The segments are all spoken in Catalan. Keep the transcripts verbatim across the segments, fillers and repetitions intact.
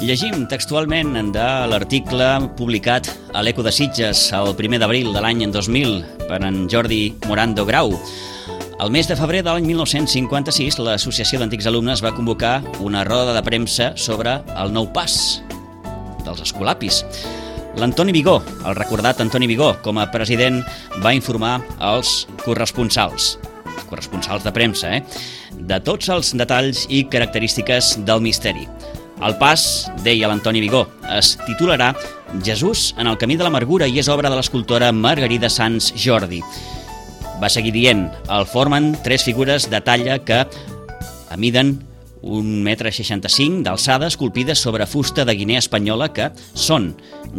Llegim textualment de l'article publicat a l'Eco de Sitges el primer d'abril de l'any dos mil per en Jordi Morando Grau. El mes de febrer de l'any mil nou-cents cinquanta-sis, l'Associació d'Antics Alumnes va convocar una roda de premsa sobre el nou pas dels escolapis. L'Antoni Vigó, el recordat Antoni Vigó, com a president, va informar els corresponsals, corresponsals de premsa, eh? de tots els detalls i característiques del misteri. El pas, deia l'Antoni Vigó, es titularà Jesús en el camí de l'amargura i és obra de l'escultora Margarida Sans Jordi. Va seguir dient, el formen tres figures de talla que amiden un metre seixanta-cinc d'alçada esculpides sobre fusta de Guinea espanyola que són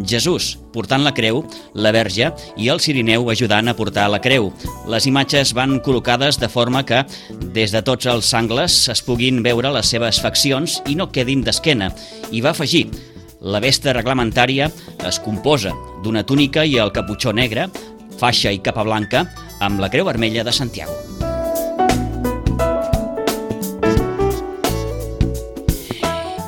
Jesús portant la creu, la Verge i el Cirineu ajudant a portar la creu. Les imatges van col·locades de forma que des de tots els angles es puguin veure les seves faccions i no quedin d'esquena. I va afegir, la vesta reglamentària es composa d'una túnica i el caputxó negre, faixa i capa blanca, amb la creu vermella de Santiago.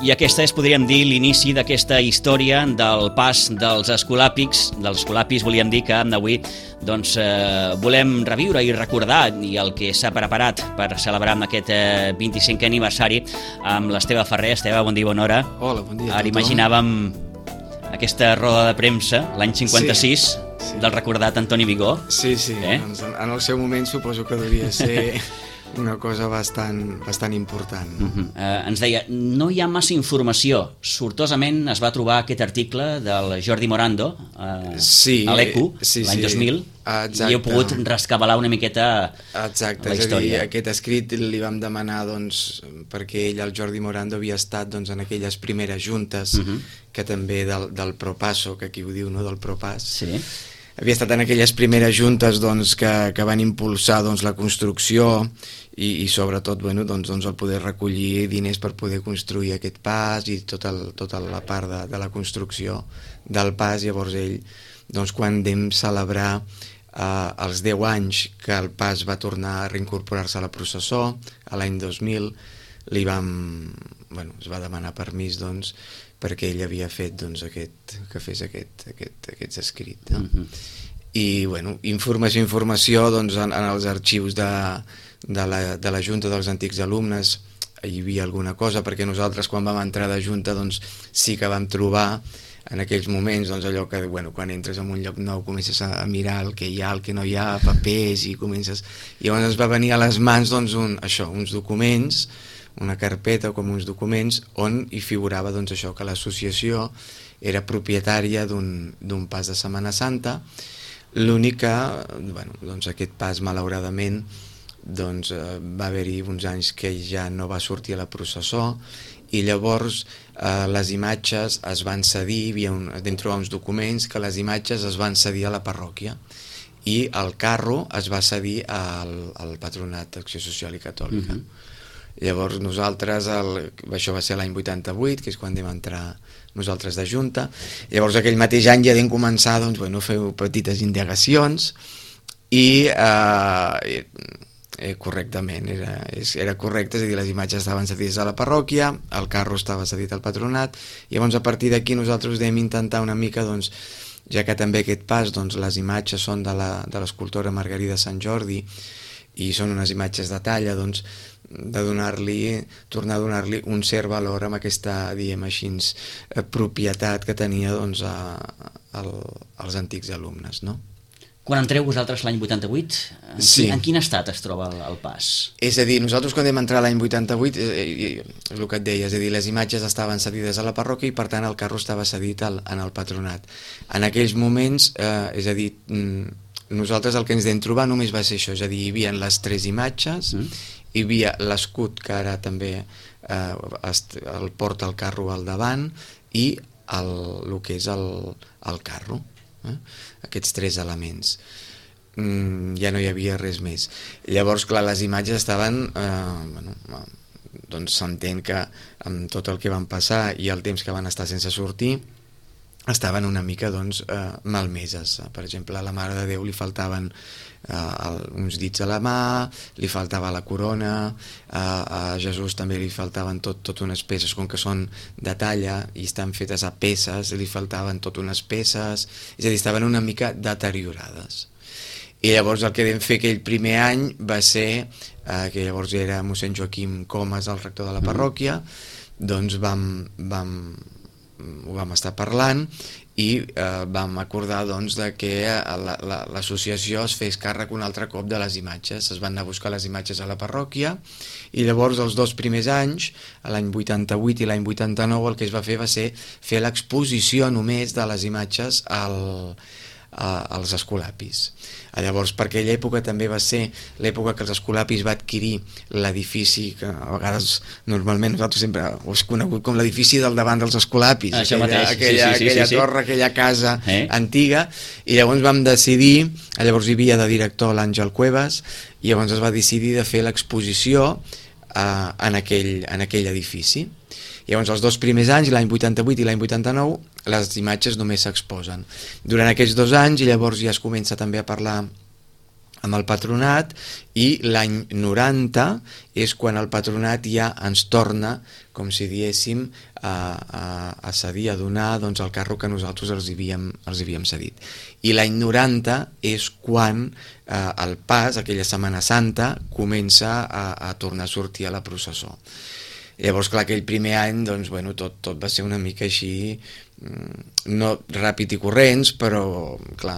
I aquesta és, podríem dir, l'inici d'aquesta història del pas dels escolàpics. Dels escolapis volíem dir que avui doncs, eh, volem reviure i recordar i el que s'ha preparat per celebrar aquest eh, vint-i-cinquè aniversari amb l'Esteve Ferrer. Esteve, bon dia, bona hora. Hola, bon dia. Ara imaginàvem aquesta roda de premsa l'any cinquanta-sis sí, sí. del recordat Antoni Vigó. Sí, sí, eh? doncs en el seu moment suposo que devia ser una cosa bastant, bastant important. No? Uh-huh. eh, ens deia, no hi ha massa informació. Sortosament es va trobar aquest article del Jordi Morando eh, sí, a l'Eco sí, l'any sí. dos mil. Exacte. I heu pogut rescabalar una miqueta Exacte, la història. És a dir, aquest escrit li vam demanar doncs, perquè ell, el Jordi Morando, havia estat doncs, en aquelles primeres juntes uh-huh. que també del, del Propasso, que aquí ho diu, no? del Propàs. Sí. Havia estat en aquelles primeres juntes doncs, que, que van impulsar doncs, la construcció i, i sobretot bueno, doncs, doncs, el poder recollir diners per poder construir aquest pas i tota, el, tota la part de, de la construcció del pas. Llavors ell, doncs, quan vam celebrar eh, els deu anys que el pas va tornar a reincorporar-se a la processó, a l'any dos mil, li vam, bueno, es va demanar permís doncs, perquè ell havia fet doncs, aquest, que fes aquest, aquest, aquests escrits. No? Uh-huh. I, bueno, informació, informació, doncs, en, en els arxius de, de, la, de la Junta dels Antics Alumnes hi havia alguna cosa, perquè nosaltres quan vam entrar de Junta doncs, sí que vam trobar en aquells moments doncs, allò que bueno, quan entres en un lloc nou comences a, a mirar el que hi ha, el que no hi ha, papers i comences... I llavors ens va venir a les mans doncs, un, això, uns documents, una carpeta com uns documents on hi figurava doncs, això que l'associació era propietària d'un pas de Setmana Santa. L'únic que bueno, doncs aquest pas malauradament doncs, va haver-hi uns anys que ja no va sortir a la processó i llavors eh, les imatges es van cedir, hi havia un, vam trobar uns documents que les imatges es van cedir a la parròquia i el carro es va cedir al, al Patronat d'Acció Social i Catòlica. Uh-huh. Llavors nosaltres, el, això va ser l'any vuitanta-vuit, que és quan vam entrar nosaltres de Junta, llavors aquell mateix any ja vam començar doncs, bueno, a fer petites indagacions i eh, eh, correctament, era, era correcte, és a dir, les imatges estaven cedides a la parròquia, el carro estava cedit al patronat, i llavors a partir d'aquí nosaltres vam intentar una mica, doncs, ja que també aquest pas, doncs, les imatges són de l'escultora Margarida Sant Jordi i són unes imatges de talla, doncs, de donar-li, tornar a donar-li un cert valor amb aquesta, diguem així, propietat que tenia doncs, a, a, als antics alumnes, no? Quan entreu vosaltres l'any vuitanta-vuit, en, sí. en quin estat es troba el, el pas? És a dir, nosaltres quan vam entrar l'any vuitanta-vuit, eh, és el que et deia, és a dir, les imatges estaven cedides a la parròquia i per tant el carro estava cedit al, en el patronat. En aquells moments, eh, és a dir, nosaltres el que ens vam trobar només va ser això, és a dir, hi havia les tres imatges, mm. hi havia l'escut que ara també eh, el porta el carro al davant i el, el que és el, el carro, eh? Aquests tres elements. Mm, ja no hi havia res més. Llavors, clar, les imatges estaven, eh, bueno, doncs s'entén que amb tot el que van passar i el temps que van estar sense sortir, estaven una mica doncs, eh, malmeses. Per exemple, a la Mare de Déu li faltaven eh, el, uns dits a la mà, li faltava la corona, eh, a Jesús també li faltaven tot, tot unes peces, com que són de talla i estan fetes a peces, li faltaven tot unes peces, és a dir, estaven una mica deteriorades. I llavors el que vam fer aquell primer any va ser, eh, que llavors era mossèn Joaquim Comas, el rector de la parròquia, doncs vam... vam ho vam estar parlant i eh, vam acordar doncs, de que l'associació la, la, es fes càrrec un altre cop de les imatges. Es van anar a buscar les imatges a la parròquia i llavors els dos primers anys, l'any vuitanta-vuit i l'any vuitanta-nou, el que es va fer va ser fer l'exposició només de les imatges al, a, als escolapis. Llavors, per aquella època també va ser l'època que els escolapis va adquirir l'edifici, que a vegades normalment nosaltres sempre ho hem conegut com l'edifici del davant dels escolapis, Això aquella, mateix. aquella, sí, sí, aquella sí, sí. torre, aquella casa eh? antiga, i llavors vam decidir, llavors hi havia de director l'Àngel Cuevas, i llavors es va decidir de fer l'exposició eh, en, aquell, en aquell edifici. Llavors els dos primers anys, l'any vuitanta-vuit i l'any vuitanta-nou, les imatges només s'exposen. Durant aquests dos anys, i llavors ja es comença també a parlar amb el patronat, i l'any noranta és quan el patronat ja ens torna, com si diéssim, a, a, a cedir, a donar doncs, el carro que nosaltres els havíem, els havíem cedit. I l'any noranta és quan eh, el pas, aquella Setmana Santa, comença a, a tornar a sortir a la processó. Llavors, clar, aquell primer any, doncs, bueno, tot, tot va ser una mica així, no ràpid i corrents, però, clar,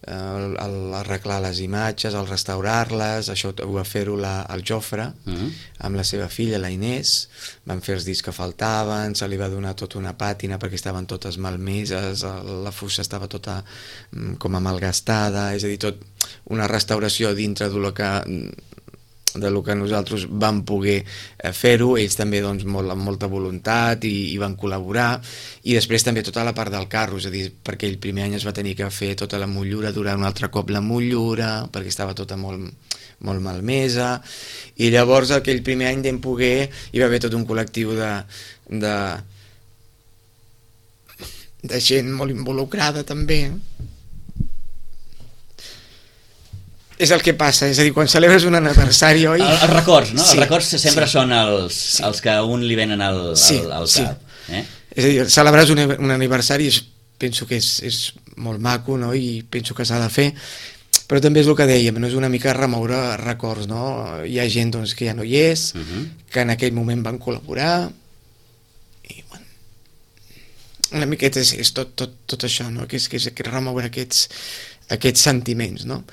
el, el arreglar les imatges, el restaurar-les, això ho va fer-ho el Jofre, uh-huh. amb la seva filla, la Inés, van fer els dits que faltaven, se li va donar tota una pàtina perquè estaven totes malmeses, la fusta estava tota com a malgastada, és a dir, tot una restauració dintre de lo que... de lo que nosaltres vam poder fer-ho, ells també doncs, molt, amb molta voluntat i, i van col·laborar, i després també tota la part del carro, és a dir, perquè el primer any es va tenir que fer tota la motllura, durar un altre cop la motllura, perquè estava tota molt, molt malmesa, i llavors aquell primer any vam poder, hi va haver tot un col·lectiu de, de, de gent molt involucrada també. És el que passa, és a dir, quan celebres un aniversari, oi? El, els records, no? Sí, els records sempre sí, són els, sí. els que a un li venen al, sí, al, al sí. cap. Eh? És a dir, celebrar un, un aniversari és, penso que és, és molt maco, no? I penso que s'ha de fer, però també és el que dèiem, no? És una mica remoure records, no? Hi ha gent doncs, que ja no hi és, uh-huh. que en aquell moment van col·laborar, i bueno, una miqueta és, és tot, tot, tot això, no? Que és, que és remoure aquests, aquests sentiments, no?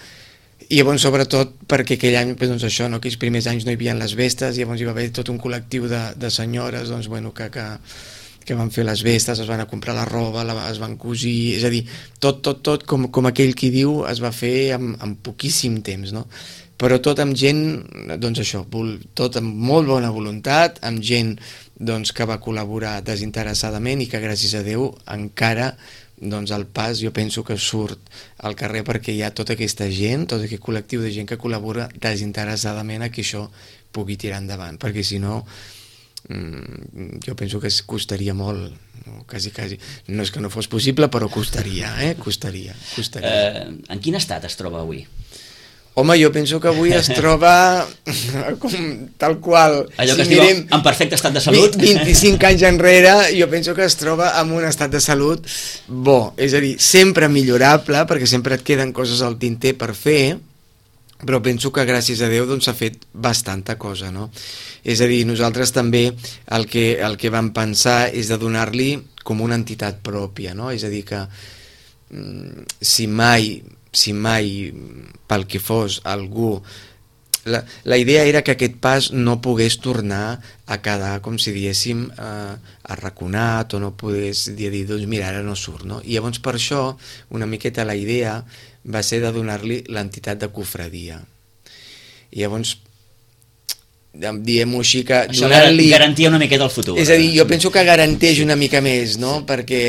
I llavors, sobretot, perquè aquell any, doncs això, no? Aquells primers anys no hi havia les vestes, i llavors hi va haver tot un col·lectiu de, de senyores doncs, bueno, que, que, que van fer les vestes, es van a comprar la roba, la, es van cosir, és a dir, tot, tot, tot, com, com aquell qui diu, es va fer en, en poquíssim temps, no? Però tot amb gent, doncs això, tot amb molt bona voluntat, amb gent doncs, que va col·laborar desinteressadament i que, gràcies a Déu, encara... doncs el pas jo penso que surt al carrer perquè hi ha tota aquesta gent, tot aquest col·lectiu de gent que col·labora desinteressadament a que això pugui tirar endavant, perquè si no mmm, jo penso que es costaria molt, no? quasi, quasi, no és que no fos possible, però costaria, eh? costaria, costaria. Eh, en quin estat es troba avui? Home, jo penso que avui es troba com tal qual. Allò que si es diu mirem en perfecte estat de salut. vint-i-cinc anys enrere, jo penso que es troba en un estat de salut bo. És a dir, sempre millorable, perquè sempre et queden coses al tinter per fer, però penso que gràcies a Déu doncs, s'ha fet bastanta cosa, no? És a dir, nosaltres també el que, el que vam pensar és de donar-li com una entitat pròpia, no? És a dir, que si mai... si mai, pel que fos, algú... La, la idea era que aquest pas no pogués tornar a quedar, com si diéssim, eh, arraconat, o no pogués dir, doncs mira, ara no surt, no? I llavors per això, una miqueta la idea va ser de donar-li l'entitat de cofradia. I llavors, diguem-ho així, que això donant-li... garantia una miqueta el futur. És a dir, jo penso que garanteix una mica més, no? Sí. Perquè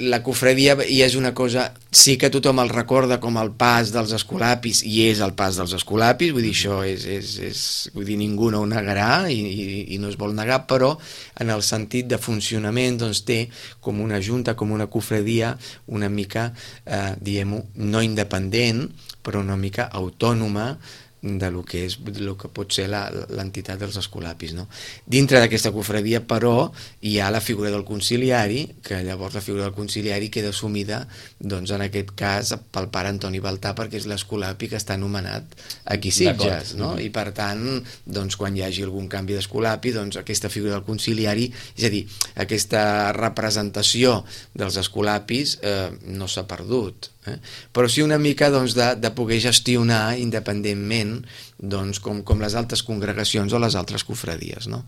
la cofradia ja és una cosa... Sí que tothom el recorda com el pas dels escolapis, i és el pas dels escolapis, vull dir, això és... és, és vull dir, ningú no ho negarà i, i, i no es vol negar, però en el sentit de funcionament doncs té com una junta, com una cofradia una mica, eh, diguem-ho, no independent, però una mica autònoma de lo que és lo que pot ser l'entitat dels escolapis, no? Dintre d'aquesta cofradia, però, hi ha la figura del conciliari, que llavors la figura del conciliari queda assumida, doncs, en aquest cas, pel pare Antoni Baltà, perquè és l'escolapi que està anomenat aquí Sitges, no? I per tant, doncs, quan hi hagi algun canvi d'escolapi, doncs, aquesta figura del conciliari, és a dir, aquesta representació dels escolapis eh, no s'ha perdut, eh? Però sí una mica doncs, de, de poder gestionar independentment doncs, com, com les altres congregacions o les altres cofradies, no?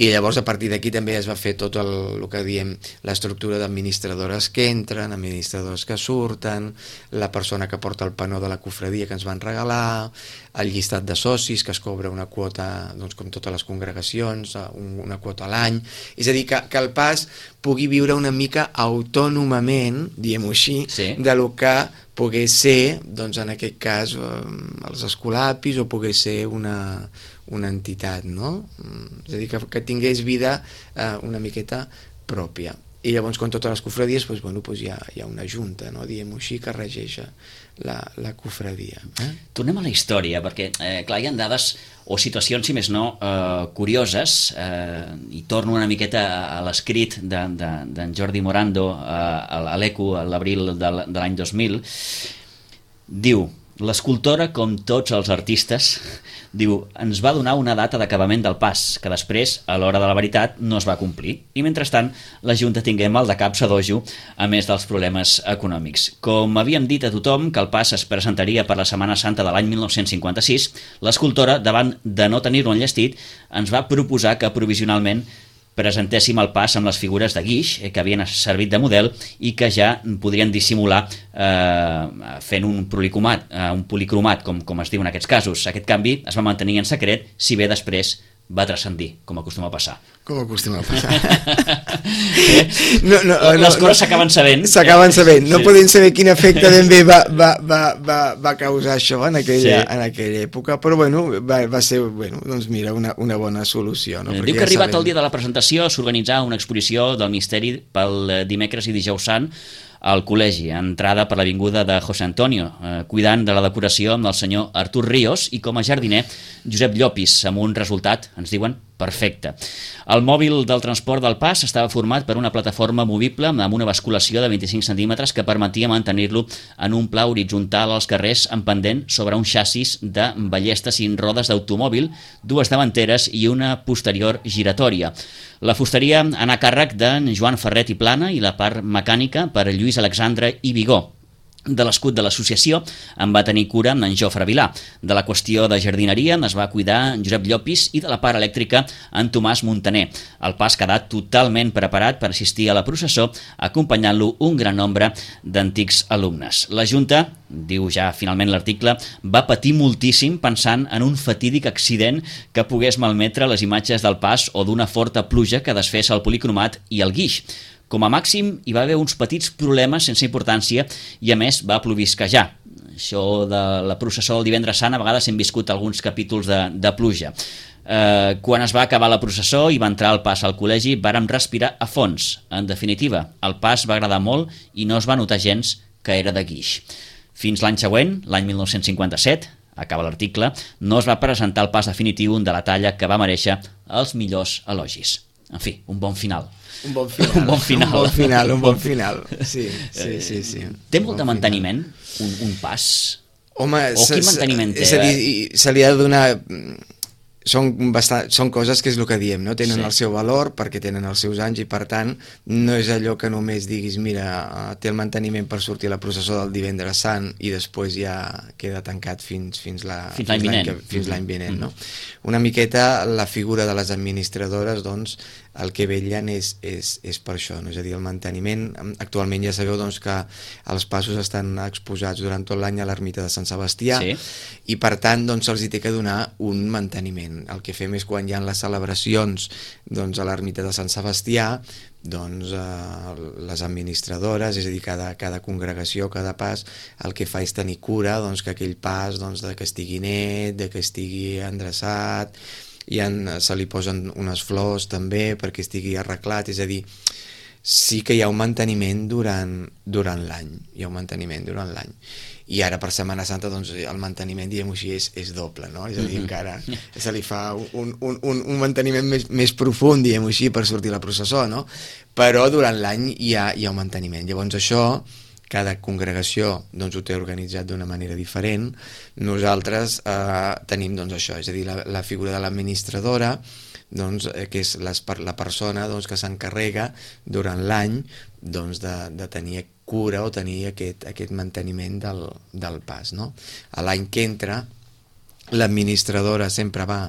I llavors a partir d'aquí també es va fer tot el, el que diem l'estructura d'administradores que entren, administradors que surten, la persona que porta el panó de la cofradia que ens van regalar, el llistat de socis que es cobra una quota, doncs, com totes les congregacions, una quota a l'any, és a dir, que, que el pas pugui viure una mica autònomament, diguem-ho així, sí, de lo que pogués ser, doncs en aquest cas, els escolapis o pogués ser una, una entitat, no? És a dir, que, que tingués vida eh, una miqueta pròpia. I llavors, com totes les cofradies, doncs, bueno, doncs hi, ha, hi ha una junta, no? Diguem-ho així, que regeix la, la cofradia. Eh? Tornem a la història, perquè, eh, clar, hi ha dades o situacions, si més no, eh, curioses, eh, i torno una miqueta a l'escrit d'en de, de, Jordi Morando eh, a l'Eco a l'abril de l'any dos mil. Diu, l'escultora, com tots els artistes, diu, ens va donar una data d'acabament del pas, que després, a l'hora de la veritat, no es va complir. I mentrestant, la Junta tingué mal de cap sadojo, a més dels problemes econòmics. Com havíem dit a tothom que el pas es presentaria per la Setmana Santa de l'any mil nou-cents cinquanta-sis, l'escultora, davant de no tenir-lo enllestit, ens va proposar que provisionalment presentéssim el pas amb les figures de guix que havien servit de model i que ja podrien dissimular eh, fent un policromat, eh, un policromat com, com es diu en aquests casos. Aquest canvi es va mantenir en secret, si bé després va transcendir, com acostuma a passar. Com acostuma a passar. eh? no, no, Les no, coses no, s'acaben sabent. S'acaben sabent. No sí. podem saber quin efecte ben bé va, va, va, va, va causar això en aquella, sí. en aquella època, però bueno, va, va ser, bueno, doncs mira, una, una bona solució. No? Diu Perquè que ja arribat sabem... el dia de la presentació s'organitzà una exposició del misteri pel dimecres i dijous sant al col·legi, entrada per l'avinguda de José Antonio, eh, cuidant de la decoració amb el senyor Artur Ríos i com a jardiner Josep Llopis, amb un resultat, ens diuen, perfecte. El mòbil del transport del pas estava format per una plataforma movible amb una basculació de vint-i-cinc centímetres que permetia mantenir-lo en un pla horitzontal als carrers en pendent sobre un xassis de ballesta sin rodes d'automòbil, dues davanteres i una posterior giratòria. La fusteria anà a càrrec d'en Joan Ferret i Plana i la part mecànica per Lluís Alexandre i Vigó. De l'escut de l'associació en va tenir cura en Jofre Vilà. De la qüestió de jardineria es va cuidar en Josep Llopis i de la part elèctrica en Tomàs Montaner. El pas quedà totalment preparat per assistir a la processó, acompanyant-lo un gran nombre d'antics alumnes. La Junta, diu ja finalment l'article, va patir moltíssim pensant en un fatídic accident que pogués malmetre les imatges del pas o d'una forta pluja que desfés el policromat i el guix. Com a màxim, hi va haver uns petits problemes sense importància i, a més, va plovisquejar. Això de la processó del divendres sant, a vegades hem viscut alguns capítols de, de pluja. Eh, quan es va acabar la processó i va entrar el pas al col·legi, vàrem respirar a fons. En definitiva, el pas va agradar molt i no es va notar gens que era de guix. Fins l'any següent, l'any mil nou-cents cinquanta-set, acaba l'article, no es va presentar el pas definitiu de la talla que va mereixer els millors elogis. En fi, un bon final. Un bon final. un bon final. Un bon final, un bon final. Sí, sí, sí. sí. Té molt de manteniment, un, un pas? Home, o quin manteniment té? És a dir, se li ha de donar... Són, bastant, són coses que és el que diem, no? Tenen sí. el seu valor perquè tenen els seus anys i per tant no és allò que només diguis mira, té el manteniment per sortir a la processó del divendres sant i després ja queda tancat fins, fins l'any fins l'any vinent, fins l'any vinent no? Una miqueta la figura de les administradores doncs el que vetllen és, és, és per això, no? És a dir, el manteniment. Actualment ja sabeu doncs, que els passos estan exposats durant tot l'any a l'ermita de Sant Sebastià sí. i per tant doncs, se'ls hi té que donar un manteniment. manteniment. El que fem és quan hi ha les celebracions doncs, a l'ermita de Sant Sebastià, doncs eh, les administradores, és a dir, cada, cada congregació, cada pas, el que fa és tenir cura doncs, que aquell pas doncs, de que estigui net, de que estigui endreçat, i en, se li posen unes flors també perquè estigui arreglat, és a dir, sí que hi ha un manteniment durant, durant l'any, hi ha un manteniment durant l'any. I ara per Setmana Santa doncs, el manteniment, diguem-ho així, és, és doble, no? És a dir, encara se li fa un, un, un, un manteniment més, més profund, diguem-ho així, per sortir la processó, no? Però durant l'any hi ha, hi ha un manteniment. Llavors això, cada congregació doncs, ho té organitzat d'una manera diferent. Nosaltres eh, tenim doncs, això, és a dir, la, la figura de l'administradora, doncs, eh, que és les, la persona doncs, que s'encarrega durant l'any doncs, de, de tenir cura o tenir aquest, aquest manteniment del, del pas, no? A l'any que entra, l'administradora sempre va,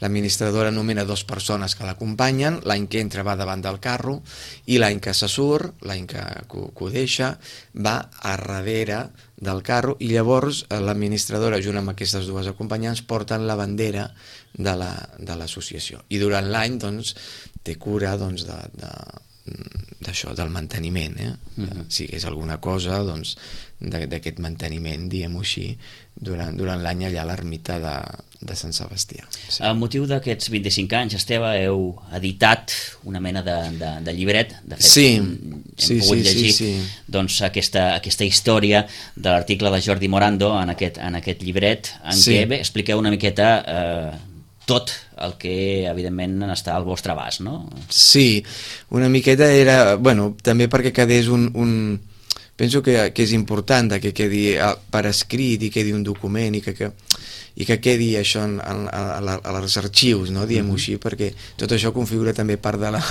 l'administradora nomena dues persones que l'acompanyen, l'any que entra va davant del carro i l'any que se surt, l'any que, que, que ho deixa, va a darrere del carro i llavors l'administradora junt amb aquestes dues acompanyants porten la bandera de la, de l'associació i durant l'any doncs, té cura doncs, de, de, d'això, del manteniment, eh? Mm-hmm. Si és alguna cosa doncs, d'aquest manteniment, diguem-ho així, durant, durant l'any allà a l'ermita de, de Sant Sebastià. Sí. Amb motiu d'aquests vint-i-cinc anys, Esteve, heu editat una mena de, de, de llibret, de fet, sí. hem sí, pogut sí, llegir sí, sí. Doncs, aquesta, aquesta història de l'article de Jordi Morando en aquest, en aquest llibret, en sí. què bé, expliqueu una miqueta eh, tot el que, evidentment, està al vostre abast, no? Sí, una miqueta era... Bueno, també perquè quedés un... un penso que, que és important que quedi per escrit i quedi un document i que, que, i que quedi això en, en, a, a, a els arxius, no? Diguem-ho així, perquè tot això configura també part de la,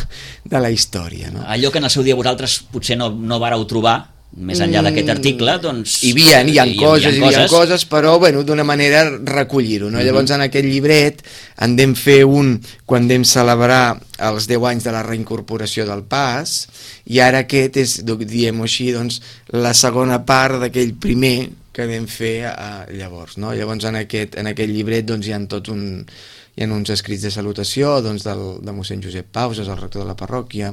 de la història. No? Allò que en el seu dia vosaltres potser no, no vareu trobar, més enllà d'aquest article, doncs... Hi havia, hi ha coses, hi havia coses, però, bueno, d'una manera recollir-ho, no? Uh-huh. Llavors, en aquest llibret en vam fer un quan vam celebrar els deu anys de la reincorporació del Pas, i ara aquest és, diguem-ho així, doncs, la segona part d'aquell primer que vam fer eh, llavors, no? Llavors, en aquest, en aquest llibret, doncs, hi ha tot un... Hi ha uns escrits de salutació doncs, del, de mossèn Josep Pauses, el rector de la parròquia,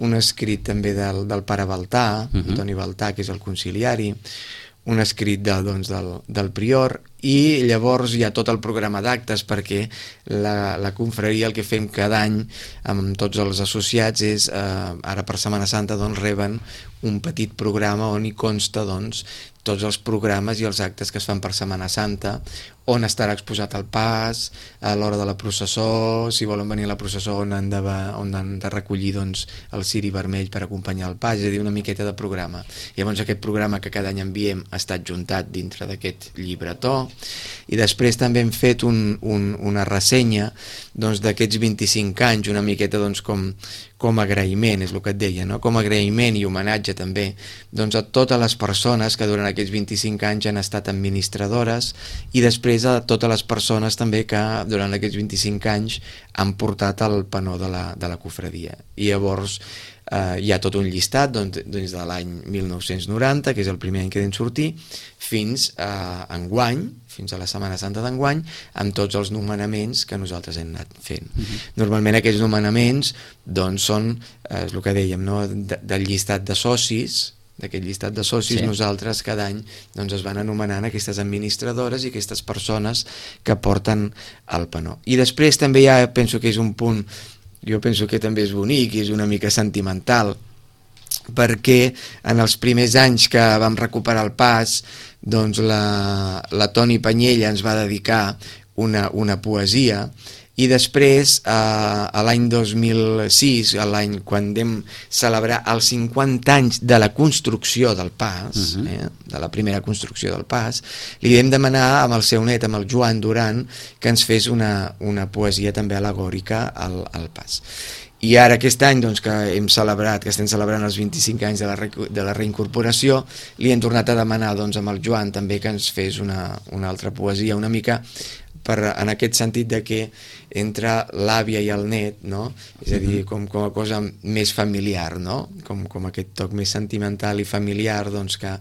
un escrit també del, del pare Baltà, uh-huh. Antoni Baltà, que és el conciliari, un escrit de, doncs, del, del prior, i llavors hi ha tot el programa d'actes perquè la, la confraria el que fem cada any amb tots els associats és, eh, ara per Setmana Santa doncs, reben un petit programa on hi consta doncs, tots els programes i els actes que es fan per Setmana Santa, on estarà exposat el pas, a l'hora de la processó, si volen venir a la processó on han de, on han de recollir doncs, el ciri vermell per acompanyar el pas, és a dir, una miqueta de programa. Llavors aquest programa que cada any enviem ha estat juntat dintre d'aquest llibretó, i després també hem fet un, un, una ressenya doncs, d'aquests vint-i-cinc anys, una miqueta doncs, com, com agraïment, és el que et deia, no? Com agraïment i homenatge també doncs, a totes les persones que durant aquests vint-i-cinc anys han estat administradores i després a totes les persones també que durant aquests vint-i-cinc anys han portat el penó de la, de la cofradia. I llavors eh, hi ha tot un llistat doncs, des de l'any mil nou-cents noranta, que és el primer any que vam sortir, fins a enguany, fins a la Setmana Santa d'enguany, amb tots els nomenaments que nosaltres hem anat fent. Uh-huh. Normalment aquests nomenaments doncs, són, eh, és el que dèiem, no? de, del llistat de socis, d'aquest llistat de socis, sí. Nosaltres cada any doncs, es van anomenant aquestes administradores i aquestes persones que porten el penó. I després també ja penso que és un punt, jo penso que també és bonic i és una mica sentimental, perquè en els primers anys que vam recuperar el pas, doncs la, la Toni Panyella ens va dedicar una, una poesia, i després, eh, a l'any dos mil sis, a l'any quan vam celebrar els cinquanta anys de la construcció del pas, uh-huh. eh, de la primera construcció del pas, li vam demanar amb el seu net, amb el Joan Duran, que ens fes una, una poesia també al·legòrica al, al pas. I ara aquest any doncs, que hem celebrat, que estem celebrant els vint-i-cinc anys de la, re, de la reincorporació, li hem tornat a demanar doncs, amb el Joan també que ens fes una, una altra poesia, una mica per, en aquest sentit de que entre l'àvia i el net, no? És a dir, com, com a cosa més familiar, no? Com, com aquest toc més sentimental i familiar, doncs, que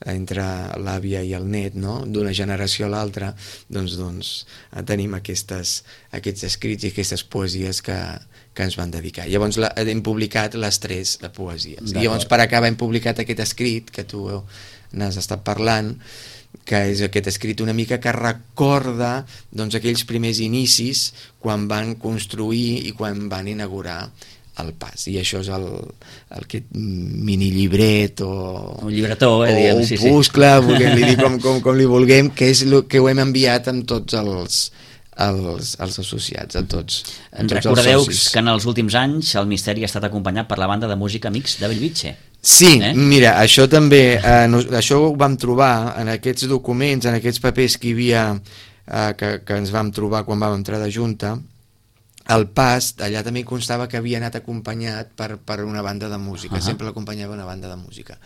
entre l'àvia i el net, no? D'una generació a l'altra, doncs, doncs tenim aquestes, aquests escrits i aquestes poesies que, que ens van dedicar. Llavors la, hem publicat les tres de poesies. I llavors per acabar hem publicat aquest escrit que tu n'has estat parlant, que és aquest escrit una mica que recorda doncs, aquells primers inicis quan van construir i quan van inaugurar el pas. I això és el, el aquest mini llibret o un llibretó, eh, o diguem, un sí, puscle, sí. vulguem-li dir com, com, com li vulguem, que és el que ho hem enviat amb tots els Els, els associats, a tots. A tots Recordeu que en els últims anys el misteri ha estat acompanyat per la banda de música Amics de Bellvitge. Sí, eh? Mira, això també, eh, no, això ho vam trobar en aquests documents, en aquests papers que hi havia, eh, que, que ens vam trobar quan vam entrar de Junta. El pas, allà també constava que havia anat acompanyat per, per una banda de música, uh -huh. Sempre l'acompanyava una banda de música.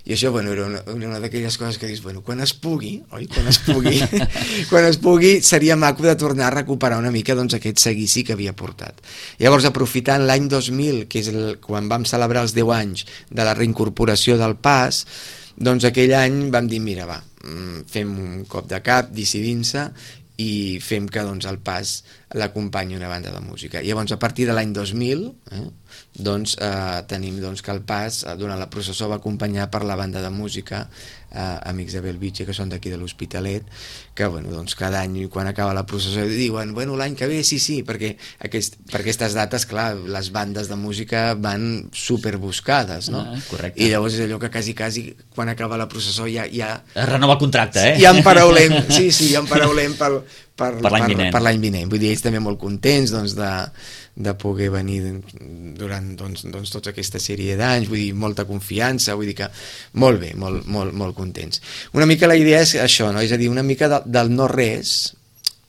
I això, bueno, era una, una d'aquelles coses que dius, bueno, quan es pugui, oi? Quan es pugui, quan es pugui, seria maco de tornar a recuperar una mica, doncs, aquest seguici que havia portat. Llavors, aprofitant l'any dos mil, que és el, quan vam celebrar els deu anys de la reincorporació del pas, doncs aquell any vam dir, mira, va, fem un cop de cap, decidint-se, i fem que doncs, el pas l'acompanyi una banda de música. I llavors, a partir de l'any dos mil, eh, doncs, eh, tenim doncs, que el pas, eh, durant la processó, va acompanyar per la banda de música eh, Amics de Bellvitge, que són d'aquí de l'Hospitalet, que bueno, doncs, cada any, quan acaba la processó, diuen, bueno, l'any que ve, sí, sí, perquè aquest, per aquestes dates, clar, les bandes de música van superbuscades, no? Ah, correcte. I llavors és allò que quasi, quasi, quan acaba la processó ja... ja es renova el contracte, eh? Ja en paraulem, sí, sí, ja en paraulem pel, per, per l'any vinent. Per l'any vinent. Vull dir, ells també molt contents doncs, de, de poder venir durant doncs, doncs, tota aquesta sèrie d'anys, vull dir, molta confiança, vull dir que molt bé, molt, molt, molt contents. Una mica la idea és això, no? És a dir, una mica de, del no-res,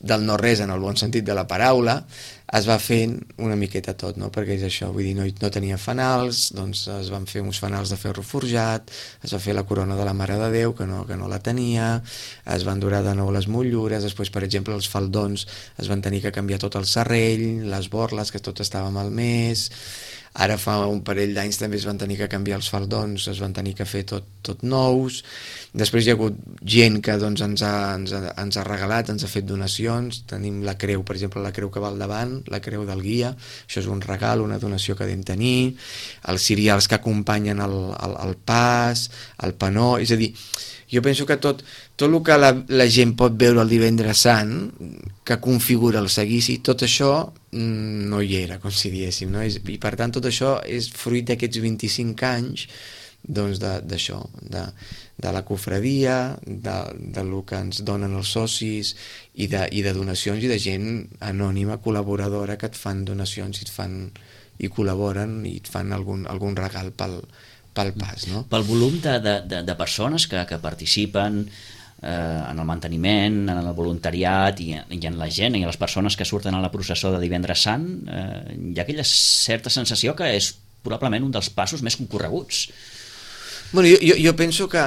del no-res en el bon sentit de la paraula, es va fent una miqueta tot, no? Perquè és això, vull dir, no, no tenia fanals, doncs es van fer uns fanals de ferro forjat, es va fer la corona de la Mare de Déu, que no, que no la tenia, es van durar de nou les motllures, després, per exemple, els faldons es van tenir que canviar tot el serrell, les borles, que tot estava malmès. Ara fa un parell d'anys també es van tenir que canviar els faldons, es van tenir que fer tot, tot nous. Després hi ha hagut gent que doncs, ens, ha, ens, ha, ens ha regalat, ens ha fet donacions. Tenim la creu, per exemple, la creu que va al davant, la creu del guia, això és un regal, una donació que vam tenir. Els cirials que acompanyen el, el, el pas, el panó, és a dir, jo penso que tot, tot el que la, la gent pot veure el Divendres Sant, que configura el seguici, tot això no hi era, com si diéssim, no? I per tant tot això és fruit d'aquests vint-i-cinc anys doncs d'això, de, de la cofradia, de, de lo que ens donen els socis i de, i de donacions i de gent anònima, col·laboradora, que et fan donacions i et fan i col·laboren i et fan algun, algun regal pel, pel pas, no? Pel volum de, de, de, de persones que, que participen eh, en el manteniment, en el voluntariat i, i en la gent i en les persones que surten a la processó de Divendres Sant, eh, hi ha aquella certa sensació que és probablement un dels passos més concorreguts. Bueno, jo, jo, jo penso que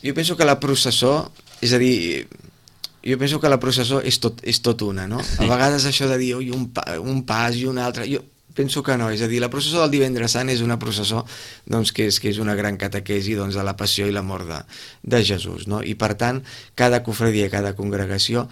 jo penso que la processó, és a dir, jo penso que la processó és tot, és tot una, no? A vegades això de dir oi, un, pa, un pas i un altre, jo penso que no, és a dir, la processó del Divendres Sant és una processó doncs, que, és, que és una gran catequesi doncs, de la passió i l'amor de, de Jesús, no? I per tant, cada cofradia, cada congregació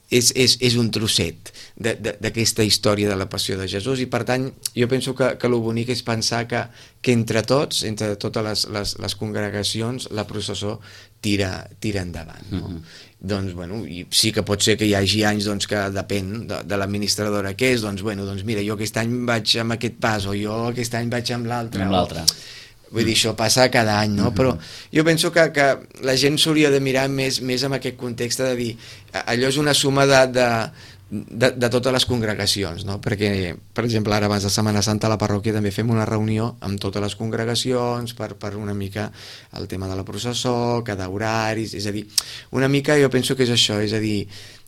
és, és, és un trosset d'aquesta història de la passió de Jesús, i per tant jo penso que, que el bonic és pensar que, que entre tots, entre totes les, les, les congregacions, la processó tira, tira endavant, no? Mm-hmm. Doncs, bueno, i sí que pot ser que hi hagi anys doncs, que depèn de, de l'administradora que és, doncs, bueno, doncs mira, jo aquest any vaig amb aquest pas, o jo aquest any vaig amb l'altre. Amb l'altre. Vull dir, això passa cada any, no? Mm-hmm. Però jo penso que, que la gent s'hauria de mirar més, més amb aquest context de dir, allò és una suma de, de, de, de totes les congregacions, no? Perquè, per exemple, ara abans de Setmana Santa a la parròquia també fem una reunió amb totes les congregacions per, per una mica el tema de la processó, cada horari, és a dir, una mica jo penso que és això, és a dir,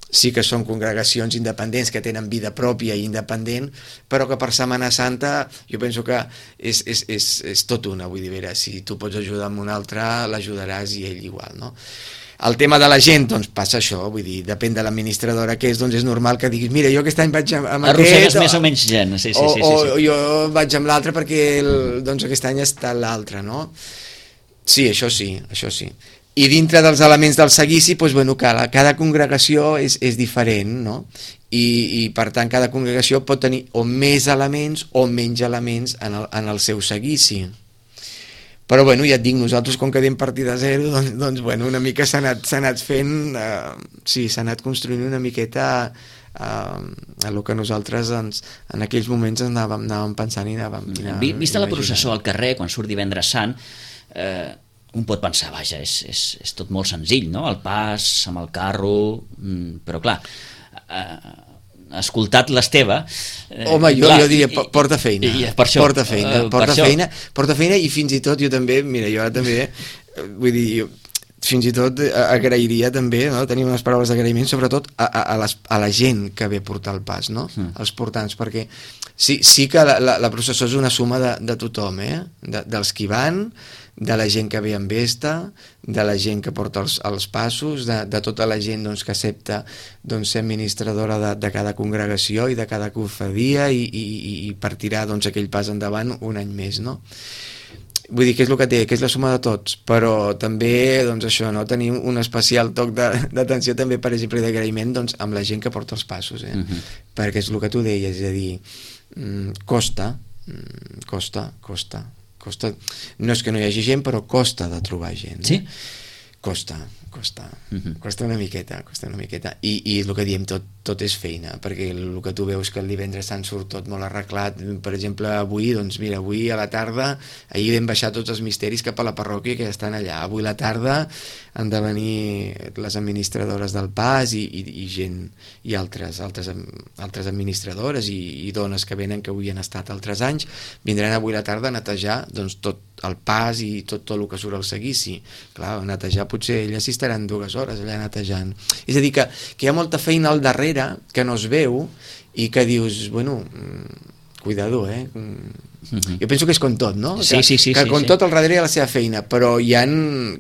sí que són congregacions independents que tenen vida pròpia i independent, però que per Setmana Santa jo penso que és, és, és, és tot una, vull dir, vera, si tu pots ajudar amb un altre, l'ajudaràs i ell igual, no? El tema de la gent, doncs passa això, vull dir, depèn de l'administradora que és, doncs és normal que diguis, mira, jo aquest any vaig amb aquest... Arrossegues més o menys gent, sí, sí, o, sí, sí, sí. O jo vaig amb l'altre perquè el, doncs aquest any està l'altre, no? Sí, això sí, això sí. I dintre dels elements del seguici, doncs, bueno, cada, cada congregació és, és diferent, no? I, i per tant cada congregació pot tenir o més elements o menys elements en el, en el seu seguici. Però bueno, ja et dic, nosaltres com que anem partida zero, doncs, doncs bueno, una mica s'ha anat, s'ha anat fent, eh, sí, s'ha anat construint una miqueta eh, a lo que nosaltres ens, en aquells moments anàvem, anàvem pensant i anàvem... I anàvem Vista la processó al carrer, quan surt Divendres Sant, eh, un pot pensar, vaja, és, és, és tot molt senzill, no? El pas, amb el carro, però clar... Eh, escoltat l'Esteve eh, home, jo, clar, jo diria i, porta feina i, i per això, porta feina, uh, porta, per feina això. porta feina i fins i tot jo també, mira, jo ara també vull dir, jo, fins i tot agrairia també, no? Tenir unes paraules d'agraïment sobretot a, a, a, les, a la gent que ve a portar el pas, no? Mm. Els portants, perquè sí, sí que la, la, la processó és una suma de, de tothom, eh? De, dels qui van, de la gent que ve amb vesta, de la gent que porta els, els passos, de, de tota la gent doncs, que accepta doncs, ser administradora de, de cada congregació i de cada cofradia i, i, i partirà doncs, aquell pas endavant un any més, no? Vull dir que és el que té, que és la suma de tots, però també doncs, això, no? Tenim un especial toc d'atenció també, per exemple, d'agraïment doncs, amb la gent que porta els passos, eh? Uh-huh. Perquè és el que tu deies, és a dir, costa, costa, costa, costa, no és que no hi hagi gent, però costa de trobar gent. Sí? Eh? Costa, costa, uh-huh. costa una miqueta, costa una miqueta. I, i el que diem, tot, tot és feina, perquè el que tu veus que el Divendres Sant surt tot molt arreglat. Per exemple, avui, doncs mira, avui a la tarda, ahir vam baixar tots els misteris cap a la parròquia que ja estan allà. Avui a la tarda han de venir les administradores del pas i, i, i gent, i altres, altres, altres administradores i, i dones que venen que avui han estat altres anys, vindran avui a la tarda a netejar doncs, tot el pas i tot, tot el que surt al seguici. Clar, netejar potser elles hi estaran dues hores allà netejant. És a dir, que, que hi ha molta feina al darrere que no es veu i que dius, bueno, cuidado, eh? Uh-huh. Jo penso que és com tot, no? Sí, que, sí, sí, que sí, com sí. tot al darrere hi ha la seva feina, però hi ha,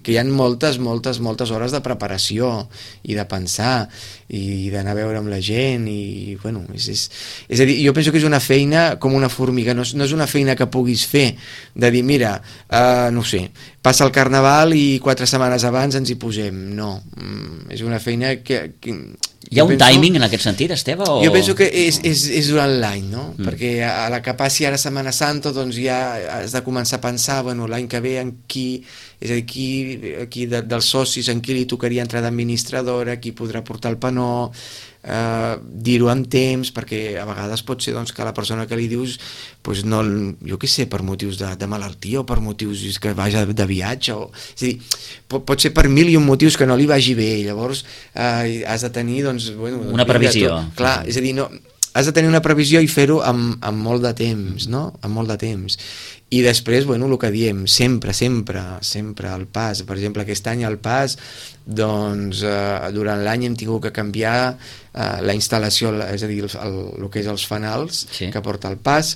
que hi ha moltes, moltes, moltes hores de preparació i de pensar i d'anar a veure amb la gent i, bueno, és, és, és a dir, jo penso que és una feina com una formiga, no és, no és una feina que puguis fer de dir, mira, uh, no sé, passa el Carnaval i quatre setmanes abans ens hi posem, no, mm, és una feina que... que hi ha un penso, timing en aquest sentit, Esteve? O... Jo penso que és, és, és durant l'any, no? Mm. Perquè a la que passi ara Setmana Santa, doncs ja has de començar a pensar, bueno, l'any que ve en qui, és a dir, qui, qui de, dels socis, en qui li tocaria entrar d'administradora, qui podrà portar el panó, eh, dir-ho amb temps, perquè a vegades pot ser doncs, que la persona que li dius, pues no, jo què sé, per motius de, de malaltia o per motius que vagi de viatge, o, és a dir, pot, pot ser per mil i un motius que no li vagi bé, llavors eh, has de tenir doncs, bueno, una previsió. Tot, clar, és a dir, no, has de tenir una previsió i fer-ho amb, amb molt de temps, no? Amb molt de temps. I després, bueno, el que diem, sempre, sempre, sempre el pas. Per exemple, aquest any el pas, doncs, eh, durant l'any hem tingut que canviar eh, la instal·lació, és a dir, el, el, el que és els fanals sí. que porta el pas,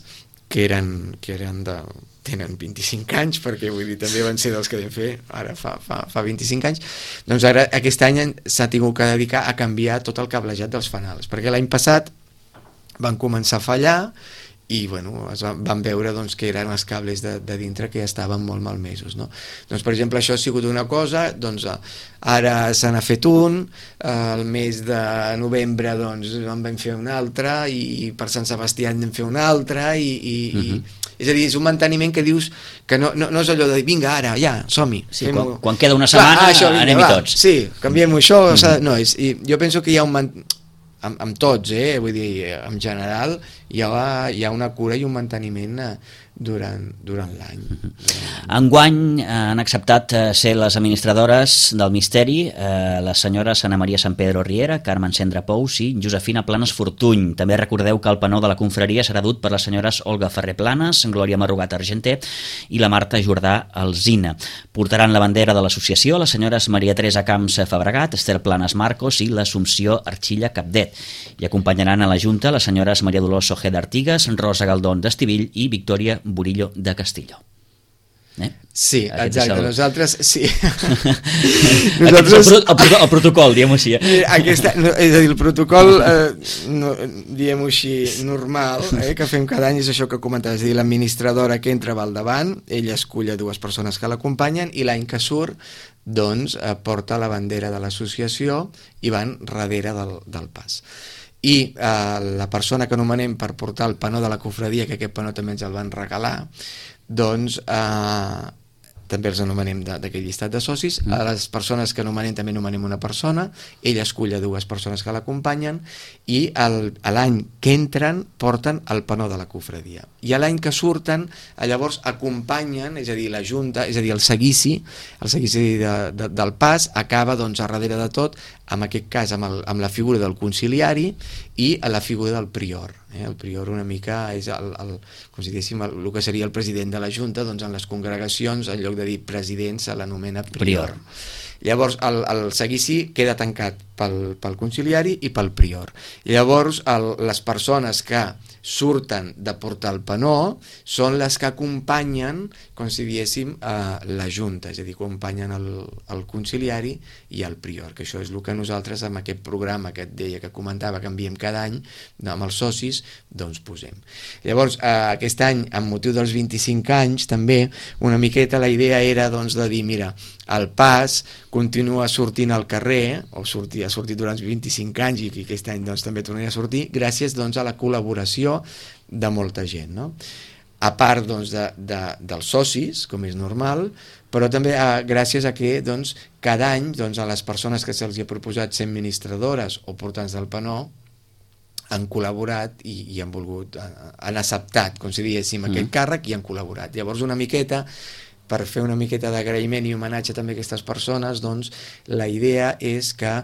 que eren, que eren de... tenen vint-i-cinc anys, perquè vull dir, també van ser dels que vam fer ara fa, fa, fa vint-i-cinc anys, doncs ara aquest any s'ha tingut que dedicar a canviar tot el cablejat dels fanals, perquè l'any passat van començar a fallar i bueno, es van, van veure doncs, que eren els cables de, de dintre que ja estaven molt malmesos, no? Doncs per exemple això ha sigut una cosa, doncs ara se n'ha fet un, el mes de novembre doncs en vam fer un altre i per Sant Sebastià en vam fer un altre i, i, uh-huh. i és a dir, és un manteniment que dius que no, no, no és allò de dir, vinga ara, ja, som-hi. Sí, quan, quan queda una setmana clar, ah, això, vinga, anem-hi tots. Sí, canviem això, uh-huh. no, és, i jo penso que hi ha un manteniment amb, amb tots, eh? Vull dir, en general hi ha, hi ha una cura i un manteniment durant, durant l'any. Enguany han acceptat ser les administradores del misteri eh, les senyores Ana Maria Sant Pedro Riera, Carmen Cendra Pous i Josefina Planes Fortuny. També recordeu que el panó de la confraria serà dut per les senyores Olga Ferrer Planes, Glòria Marrugat Argenter i la Marta Jordà Alzina. Portaran la bandera de l'associació les senyores Maria Teresa Camps Fabregat, Esther Planes Marcos i l'Assumpció Arxilla Capdet. I acompanyaran a la Junta les senyores Maria Dolors Ojeda Artigas, Rosa Galdón d'Estivill i Victòria Burillo de Castillo. Eh? Sí, Aquest exacte, el... nosaltres sí. nosaltres... el, el, el, el protocol, diguem-ho així. Aquesta, és a dir, el protocol, eh, no, diguem-ho així, normal, eh, que fem cada any és això que comentaves, és a dir, l'administradora que entra va al davant, ella escull a dues persones que l'acompanyen i l'any que surt, doncs, eh, porta la bandera de l'associació i van darrere del, del pas. I eh, la persona que anomenem per portar el panó de la cofradia, que aquest panó també ens el van regalar, doncs eh, també els anomenem d'aquell llistat de socis. A les persones que anomenem també anomenem una persona, ell escull a dues persones que l'acompanyen i el, l'any que entren porten el panó de la cofradia. I l'any que surten, llavors acompanyen, és a dir, la junta, és a dir, el seguici, el seguici de, de, del pas acaba doncs a darrere de tot, en aquest cas amb, el, amb la figura del conciliari i a la figura del prior. Eh? El prior una mica és el, el, com si diguéssim, el, el que seria el president de la Junta, doncs en les congregacions, en lloc de dir president, se l'anomena prior. prior. Llavors el, el seguici queda tancat pel, pel conciliari i pel prior. Llavors el, les persones que surten de portar el panó són les que acompanyen, com si diguéssim, eh, la Junta, és a dir, acompanyen el, el conciliari i el prior, que això és el que nosaltres amb aquest programa que et deia, que comentava, que enviem cada any amb els socis, doncs posem. Llavors, eh, aquest any, amb motiu dels vint-i-cinc anys, també, una miqueta la idea era doncs de dir, mira, el pas continua sortint al carrer, o sortir, ha sortit durant vint-i-cinc anys i aquest any doncs, també tornaria a sortir, gràcies doncs, a la col·laboració de molta gent, no? A part doncs, de, de, dels socis, com és normal, però també a, gràcies a que doncs, cada any doncs, a les persones que se'ls ha proposat ser administradores o portants del panó han col·laborat i, i han volgut, han acceptat, com si diguéssim, mm. aquest càrrec i han col·laborat. Llavors una miqueta, per fer una miqueta d'agraïment i homenatge també a aquestes persones, doncs, la idea és que eh,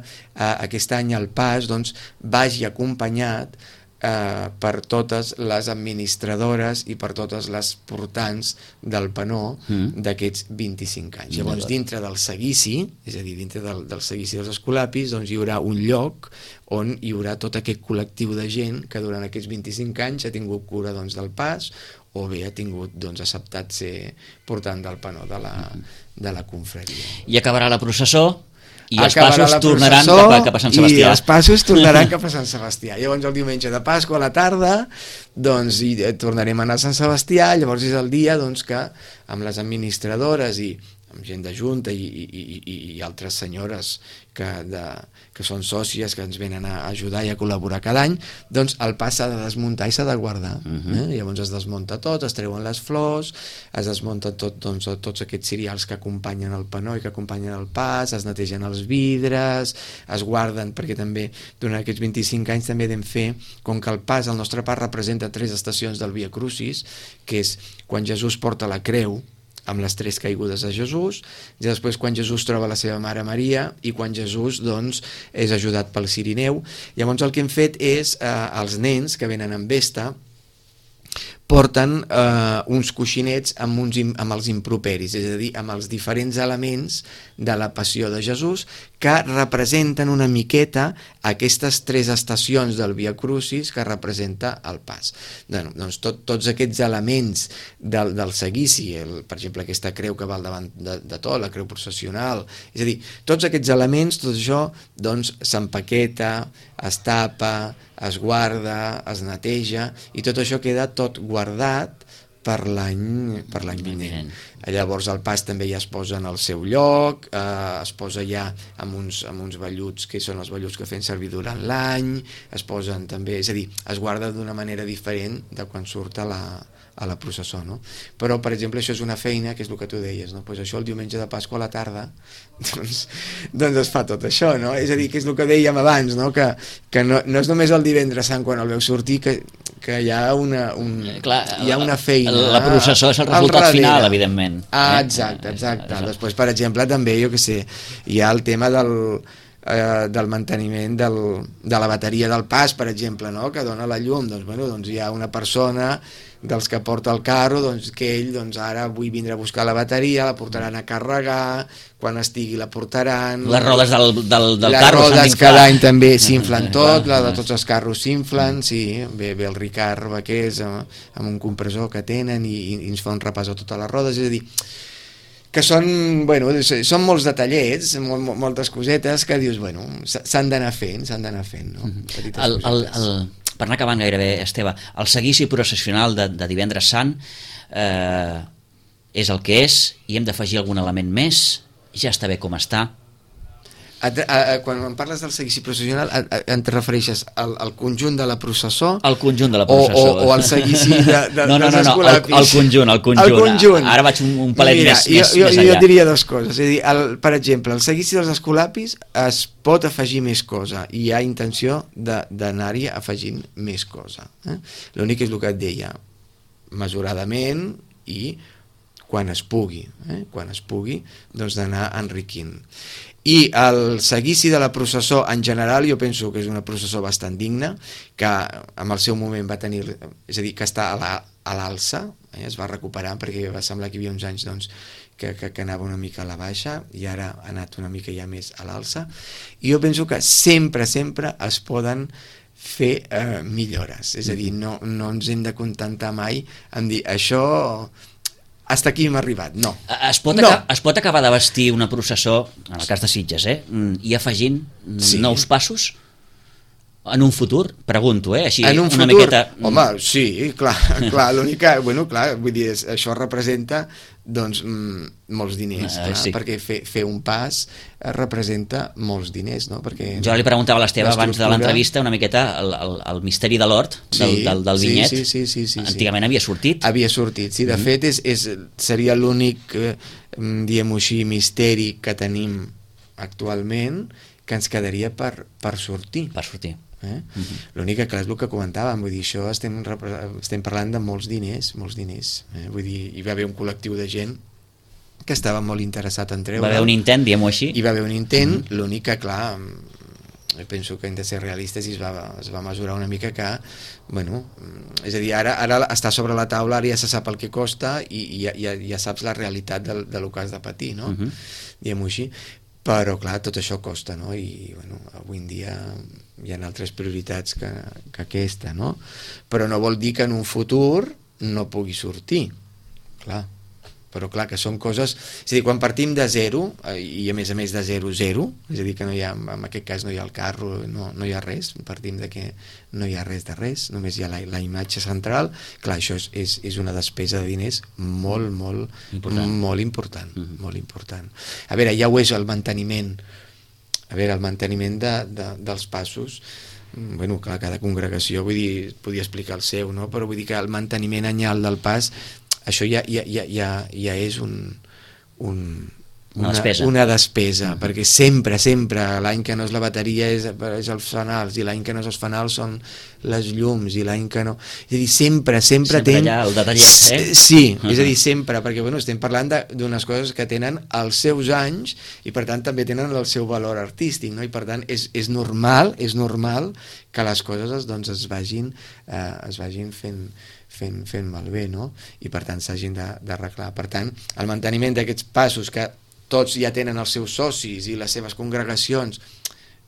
aquest any el pas doncs, vagi acompanyat eh, per totes les administradores i per totes les portants del panó mm. d'aquests vint-i-cinc anys. Llavors, dintre del seguici, és a dir, dintre del, del seguici dels escolapis, doncs, hi haurà un lloc on hi haurà tot aquest col·lectiu de gent que durant aquests vint-i-cinc anys ha tingut cura doncs, del pas o bé ha tingut doncs, acceptat ser portant del panó de la, de la confraria. I acabarà la processó i els Acabarà passos tornaran cap a, cap a Sant Sebastià. I els passos tornaran cap a Sant Sebastià. Llavors el diumenge de Pasqua a la tarda doncs hi tornarem a anar a Sant Sebastià, llavors és el dia doncs, que amb les administradores i amb gent de Junta i, i, i, i altres senyores que, de, que són sòcies que ens venen a ajudar i a col·laborar cada any, doncs el pas s'ha de desmuntar i s'ha de guardar. Uh-huh. eh? Llavors es desmunta tot, es treuen les flors, es desmunta tot, doncs, tots aquests cereals que acompanyen el panó i que acompanyen el pas, es netegen els vidres, es guarden, perquè també durant aquests vint-i-cinc anys també vam fer, com que el pas, el nostre pas representa tres estacions del Via Crucis, que és quan Jesús porta la creu, amb les tres caigudes de Jesús, i després quan Jesús troba la seva mare Maria i quan Jesús doncs, és ajudat pel Cirineu. Llavors el que hem fet és, eh, els nens que venen amb vesta, porten eh, uns coixinets amb, uns, amb els improperis, és a dir, amb els diferents elements de la passió de Jesús que representen una miqueta aquestes tres estacions del Via Crucis que representa el pas. Bueno, doncs tot, tots aquests elements del, del seguici, el, per exemple aquesta creu que va al davant de, de tot, la creu processional, és a dir, tots aquests elements, tot això doncs s'empaqueta, es tapa, es guarda, es neteja i tot això queda tot guardat per l'any per l'any vinent. Llavors el pas també ja es posa en el seu lloc, eh, es posa ja amb uns, amb uns velluts que són els velluts que fem servir durant l'any, es posen també, és a dir, es guarda d'una manera diferent de quan surt a la, a la processó, no? Però, per exemple, això és una feina, que és el que tu deies, no? Pues això el diumenge de Pasqua a la tarda, doncs, doncs es fa tot això, no? És a dir, que és el que dèiem abans, no? Que, que no, no és només el divendres sant quan el veu sortir, que, que hi ha una, un, Clar, hi ha una feina. La processó és el resultat final, evidentment. Ah, exacte, exacte. Després, per exemple, també, jo què sé, hi ha el tema del... Eh, del manteniment del, de la bateria del pas, per exemple, no? Que dona la llum, doncs, bueno, doncs hi ha una persona dels que porta el carro, doncs que ell doncs, ara vull vindre a buscar la bateria, la portaran a carregar, quan estigui la portaran... Les rodes del, del, del les carro s'han rodes d'inflar. cada any també s'inflen tot, la de tots els carros s'inflen, sí, ve, ve el Ricard Vaquers amb, amb un compressor que tenen i, i ens fa un repàs a totes les rodes, és a dir, que són, bueno, són molts detallets, mol, moltes cosetes que dius, bueno, s'han d'anar fent, s'han d'anar fent, no? Petites el, el, cosetes. el, per anar acabant gairebé, Esteve, el seguici processional de, de Divendres Sant eh, és el que és i hem d'afegir algun element més, ja està bé com està. A, a, a, quan em parles del seguici processional, a, a, en te refereixes al, al conjunt de la processó? El conjunt de la processó. O, o, o al seguici de, de, no, no, dels no, no, escolapis? El, el conjunt, el conjunt. El conjunt. Ara vaig un, un palet Mira, més, jo, més, jo, més jo allà. diria dues coses. És a dir, el, per exemple, el seguici dels escolapis es pot afegir més cosa i hi ha intenció d'anar-hi afegint més cosa. Eh? L'únic és el que et deia, mesuradament i quan es pugui, eh? quan es pugui, doncs d'anar enriquint. I el seguici de la processó en general jo penso que és una processó bastant digna, que en el seu moment va tenir, és a dir, que està a l'alça, eh? es va recuperar perquè va semblar que hi havia uns anys doncs, que, que, que anava una mica a la baixa i ara ha anat una mica ja més a l'alça, i jo penso que sempre, sempre es poden fer eh, millores, és a dir, no, no ens hem de contentar mai en dir això... hasta aquí hem arribat, no. Es pot, no. aca es pot acabar de vestir una processó, en el cas de Sitges, eh? i afegint sí. nous passos en un futur? Pregunto, eh? Així, en un una futur? miqueta... Home, sí, clar, clar l'únic que, bueno, clar, vull dir, això representa doncs molts diners, clar, uh, sí. perquè fer, fer un pas representa molts diners, no? Perquè jo li preguntava a l'Esteve abans de l'entrevista una miqueta el, el, el misteri de l'hort del, sí, del, del vinyet, sí, sí, sí, sí, sí, antigament sí. havia sortit havia sortit, sí, de mm -hmm. fet és, és, seria l'únic eh, diguem-ho així, misteri que tenim actualment que ens quedaria per, per sortir per sortir Eh? Uh-huh. L'únic que clar és el que comentàvem, vull dir, això estem, estem parlant de molts diners, molts diners, eh? Vull dir, hi va haver un col·lectiu de gent que estava molt interessat en treure. Va haver un intent, diguem-ho així. Hi va haver un intent, uh-huh. l'únic que clar, jo penso que hem de ser realistes i es va, es va mesurar una mica que, bueno, és a dir, ara, ara està sobre la taula, ara ja se sap el que costa i, i ja, ja, ja saps la realitat de, de lo que has de patir, no? Uh-huh. Diguem-ho així. Però clar, tot això costa, no? I bueno, avui en dia hi ha altres prioritats que, que aquesta, no? Però no vol dir que en un futur no pugui sortir, clar. Però clar, que són coses... És a dir, quan partim de zero, i a més a més de zero, zero, és a dir, que no hi ha, en aquest cas no hi ha el carro, no, no hi ha res, partim de que no hi ha res de res, només hi ha la, la imatge central, clar, això és, és, és una despesa de diners molt, molt important, molt important, mm-hmm. molt important. A veure, ja ho és el manteniment, a veure, el manteniment de, de, dels passos, bueno, clar, cada congregació, vull dir, podia explicar el seu, no? Però vull dir que el manteniment anyal del pas, això ja, ja, ja, ja, ja és un, un, una, una despesa, una despesa mm. perquè sempre, sempre, l'any que no és la bateria és, és els fanals, i l'any que no és els fanals són les llums, i l'any que no... És a dir, sempre, sempre... Sempre ten... allà el detallet, eh? Sí, uh-huh. és a dir, sempre, perquè bueno, estem parlant d'unes coses que tenen els seus anys i per tant també tenen el seu valor artístic, no? I per tant és, és normal, és normal que les coses doncs, es vagin, eh, es vagin fent fent, fent malbé, no? I per tant s'hagin d'arreglar. Per tant, el manteniment d'aquests passos que tots ja tenen els seus socis i les seves congregacions,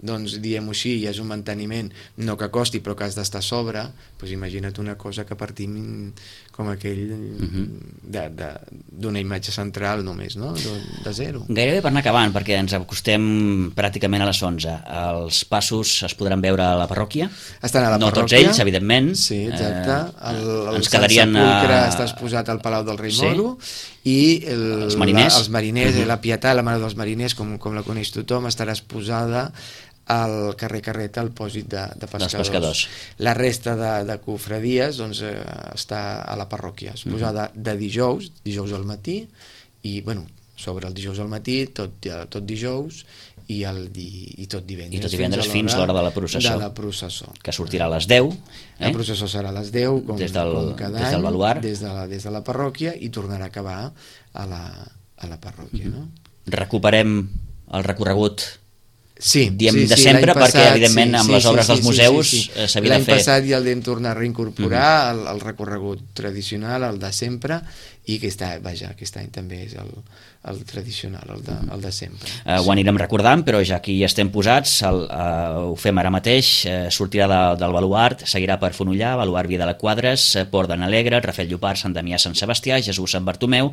doncs diem-ho així, ja és un manteniment no que costi però que has d'estar a sobre, doncs imagina't una cosa que partim com aquell uh-huh. d'una imatge central només, no? De, de zero. Gairebé per anar acabant, perquè ens acostem pràcticament a les onze. Els passos es podran veure a la parròquia? Estan a la no parròquia. No tots ells, evidentment. Sí, exacte. El, el ens quedarien Sant Sepulcre a... està exposat al Palau del Rei sí. Moro i el, els mariners, la, els mariners uh-huh. la Pietà, la Mare dels Mariners, com, com la coneix tothom, estarà exposada al carrer Carreta, al pòsit de, de pescadors. pescadors. La resta de, de cofradies doncs, eh, està a la parròquia, exposada uh-huh. de dijous, dijous al matí, i bueno, sobre el dijous al matí, tot, tot dijous, i, el di, i tot divendres. I tot divendres fins a l'hora de la processó. De la processó. Que sortirà a les deu. Eh? La processó serà a les deu, com, des del, com cada des del baluar. any, des de, la, des de la parròquia, i tornarà a acabar a la, a la parròquia. Uh-huh. No? Recuperem el recorregut Sí, diem sí, de sí, sempre, passat, perquè evidentment sí, amb sí, les obres sí, dels sí, museus sí, sí. s'havia de fer... L'any passat ja el vam tornar a reincorporar, uh -huh. el, el recorregut tradicional, el de sempre, i aquest any, vaja, aquest any també és el, el tradicional, el de, el de sempre. Uh, ho anirem recordant, però ja que hi estem posats, el, uh, ho fem ara mateix, uh, sortirà de, del Baluard, seguirà per Fonollà, Baluard Via de la Quadres, Port de n'Alegre, Rafel Llopart, Sant Damià, Sant Sebastià, Jesús, Sant Bartomeu,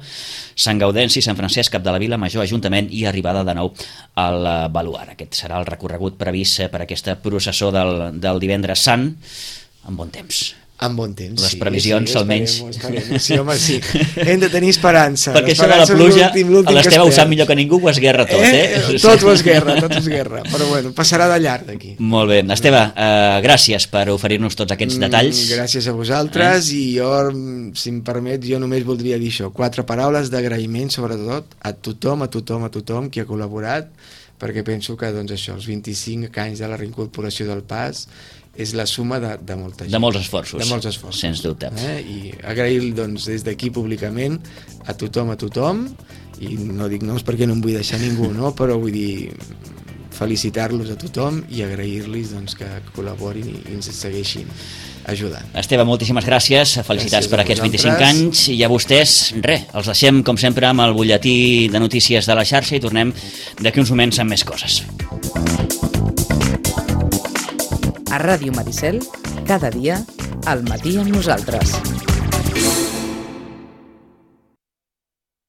Sant Gaudenci, Sant Francesc, Cap de la Vila, Major, Ajuntament i arribada de nou al Baluard. Aquest serà el recorregut previst per aquesta processó del, del divendres sant, amb bon temps. Amb bon temps, les sí. previsions, sí, almenys. Esperem, esperem. Sí, home, sí. Hem de tenir esperança. Perquè això de la pluja, l'Esteve ho sap millor que ningú, ho esguerra tot, eh? eh? Tot ho esguerra, tot ho esguerra. Però bueno, passarà de llarg d'aquí. Molt bé. Esteve, eh, gràcies per oferir-nos tots aquests detalls. Mm, gràcies a vosaltres, eh? I jo, si em permet, jo només voldria dir això. Quatre paraules d'agraïment, sobretot, a tothom, a tothom, a tothom qui ha col·laborat, perquè penso que doncs, això, els vint-i-cinc anys de la reincorporació del Pas és la suma de, de molta gent. De molts esforços. De molts esforços. Sens dubte. Eh? I agrair doncs, des d'aquí públicament a tothom, a tothom, i no dic noms perquè no em vull deixar ningú, no? Però vull dir, felicitar-los a tothom i agrair-los doncs, que col·laborin i ens segueixin ajudant. Esteve, moltíssimes gràcies, felicitats gràcies per aquests vint-i-cinc anys, i a vostès, res, els deixem com sempre amb el butlletí de notícies de la xarxa i tornem d'aquí uns moments amb més coses. A Ràdio Maricel, cada dia, al matí amb nosaltres.